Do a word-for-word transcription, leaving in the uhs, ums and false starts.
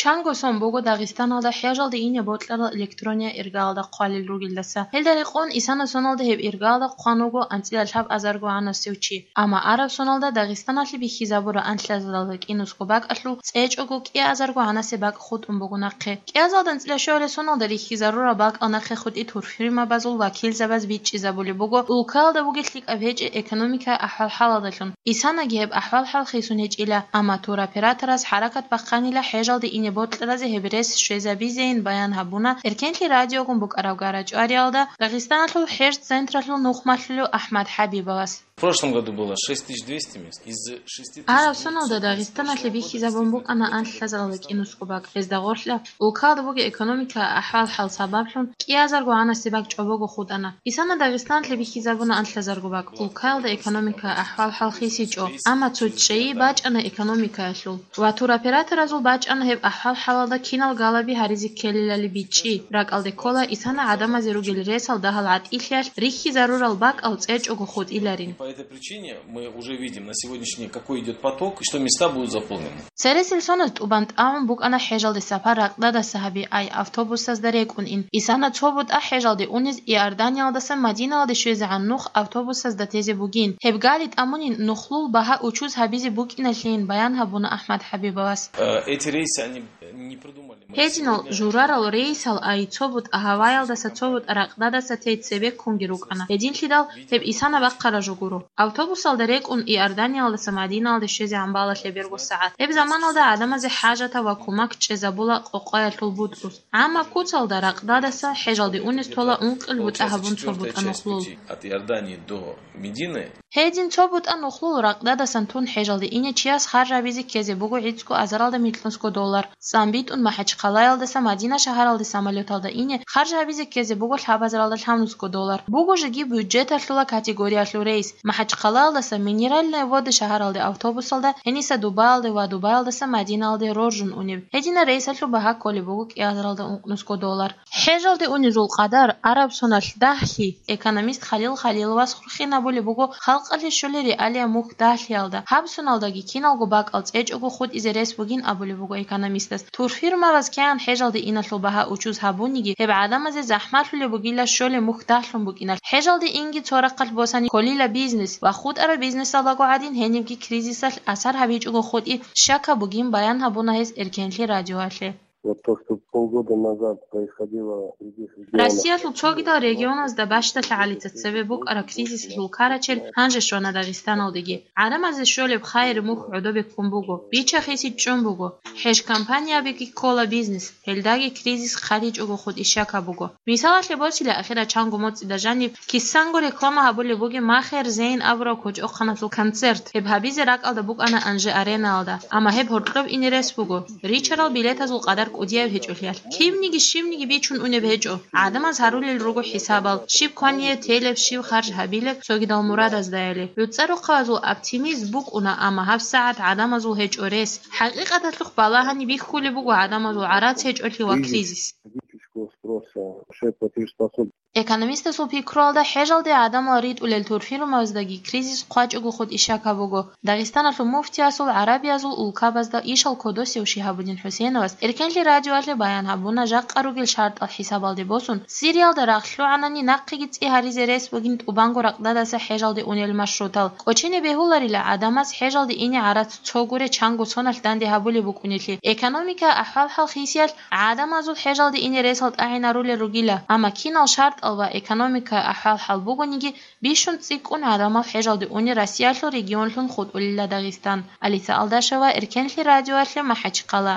Чанго сон буго Дагъистаналда хӀежалде ине бокьарал электрония иргалда хъвалел ругелдаса. Гьелда рекъон исана соналда гьеб иргалда хъван вуго анцӀила лъабазарго гьанасев чи. Амма араб соналда Дагъистаналъе бихьизабураб анлъазаралда кӀинусго бакӀалъул цӀечӀого кӀиазарго гьанасе бакӀ хутӀун буго нахъе. КӀиазалда анцӀила щуабилеб соналда рихьизарураб бакӀал нахъе хутӀи турфирмабазул вакилзабаз бичӀчӀизабулеб буго, улкаялда бугеб лъикӀаб гьечӀеб экономикаялъул ахӀвал-хӀалалдалъун. Исанаги гьеб ахӀвал-хӀал хисун гьечӀила, амма туроператорас хӀаракат бахъанила хӀежалде ине бокьаразе гьеб рес щвезабизейин баян гьабуна Эркенлъи радиогун букӀараб гара-чӀвариялда Дагъистаналъул хӀеж-централъул нухмалъулев АхӀмад ХӀабибовас. В прошлом году было шесть тысяч двести мест. Из шести тысяч двухсот Араб соналда Дагъистаналъе бихьизабун букӀана анлъазаралда кӀинусго бакӀ. Гьезда гъорлъа улкалда бугеб экономикаялъул ахӀвал-хӀал сабаблъун кӀиазарго гьанасе бакӀ чӀобого хутӀана. Исана Дагъистаналъе бихьизабуна анлъазарго бакӀ. Улкаялда экономикаялъул ахӀвал-хӀал хисичӀо, амма цо чӀей бачӀана экономикаялъул. Ва туроператоразул бачӀана гьеб ахӀвал-хӀалалда кинал галаби гьаризе ккелилали бичӀчӀи. РакӀалде ккола исана гӀадамазе ругел ресал дагьал гӀатӀилъиялъ рихьизарурал бакӀал цӀечӀого хутӀиларин. По этой причине мы уже видим на сегодняшний день, какой идёт поток, и что места будут заполнены. Цересел соназ тӀубан тӀагӀун букӀана хӀежалде сапар ракьдадаса гьаби ай автобусазда рекӀун ин. Исана цо бутӀа хӀежалде унез Иорданиялдаса Мадинаялде щвезегӀан нух автобусазда тезе бугин. Гьеб гали тӀамунин нухлул багьа учуз гьабизе букӀиналъейин баян гьабуна АхӀмад ХӀабибовас. Э, эти рейсы, они не продумали. Гьединал журарал рейсал ай цо бутӀа гьаваялдаса цо бутӀа ракьдадаса тей цебеккунги рукӀана. Гьединлъидал гьеб исана бахъараб жо гуро. Автобусалда рекӀун Иорданиялдаса Мадинаялде щвезегӀан бала лъеберго сагӀат. Гьеб заманалда гӀадамазе хӀажатаб ва кумак чӀезабула къокъаялъул бутӀрус. ГӀаммаб куцалда ракьдадаса хӀежалде унез тола ункъил бутӀа гьабун цо бутӀа нухлул. От Иордании до Медины. Гьедин цо бутӀа нухлул ракьдадасан тун хӀежалде ине чияс харж гьабизе ккезе буго гӀицӀго азаралда микьнусго доллар. ЦӀам битӀун МахӀачхъалаялдаса Мадина шагьаралде самолёталда ине харж гьабизе ккезе буго лъабазаралда лъабнусго доллар. Буго жеги бюджеталъула категориялъул рейс. МахӀачхъалаялдаса Минеральные Воды шагьаралде автобусалда, гьениса Дубаялде ва Дубаялдаса Мадинаялде роржун унеб. Гьединал рейсалъул багьа кколеб буго кӀиазаралда ункънусго доллар. ХӀежалде унезул къадар араб соналъ дагьлъи. Экономист Халил Халиловас хурхинабулеб буго халкъалъе щолел реалия мухь дагьлъиялда. Гьаб соналдаги киналго бакӀал цӀечӀого хутӀизе рес бугин абулеб буго экономистас. Турфирмабаз кигӀан хӀежалде иналъул багьа учуз гьабуниги, гьеб гӀадамазе захӀмалъулеб бугила щолеб мухь дагьлъун букӀиналъ. ХӀежалде инги цо рахъалъ босани кколила бизнес ва хутӀараб бизнесалдаго гӀадин гьенибги кризисалъ асар гьабичӀого хутӀи щака бугин баян гьабуна гьес Эркенлъи радиоялъе. Вот то, что полгода назад происходило в других регионах. Россиялъул цогидал регионазда бащдалъа гӀалица цебе букӀараб кризисалъул карачел гьанже щвана Дагъистаналдеги. ГӀадамазе щолеб хайир мухь гӀодобе ккун буго, бича-хиси чӀун буго, хӀеж компаниябиги ккола бизнес, гьелдаги кризис хъаличӀого хутӀи щака буго. Мисалалъе босила ахира чанго моцӀида жаниб кисанго реклама гьабулеб бугеб Махер Зейн абураб кочӀохъаналъул концерт. Гьеб гьабизе ракӀалда букӀана Анжи Аренаялда, амма гьеб гьоркьоб ине рес буго, ричарал билетазул къадар кӀудияб гьечӀолъиялъ. Кивниги щивниги бичун унеб гьечӀо. ГӀадамаз гьарулел руго хӀисабал, щиб квание телеб, щиб харж гьабилеб цогидал мурадаздаяли. ГӀуцӀа рохъабазул оптимизм букӀуна, амма гьабсагӀат гӀадамазул гьечӀо рес. ХӀакъикъаталъухъ балагьани бихьулеб буго гӀадамазул гӀарац гьечӀолъи ва кризис. Экономистасул пикруялда, хӀежалде гӀадамал ритӀулел турфирмабаздаги кризис хъвачӀого хутӀи щака буго. Дагъистаналъул муфтиясул гӀарабиязул улкабазда ишал кодосев Шигьабуддин ХӀусейновас Эркенлъи радиоялъе баян гьабуна жакъа ругел шартӀал хӀисабалде босун, Сириялда рагъ лъугӀанани нахъеги цӀи гьаризе рес бугин тӀубанго ракьдадаса хӀежалде унел маршрутал. КӀочене бегьуларила гӀадамаз хӀежалде ине гӀарац цо гуре чанго соналъ данде гьабулеб букӀунелъи. Экономика ахӀвал-хӀал хисиялъ гӀадамазул хӀежалде ине ресал тӀагӀинарулел ругила, амма кинал шартӀал ва экономика ахӀвал-хӀал бугониги, бищун цӀикӀкӀун гӀадамал хӀежалде уни Россиялъул регионлъун хутӀулила Дагъистан. Алиса Алдашева, Эркенлъи радиоялъе, МахӀачхъала.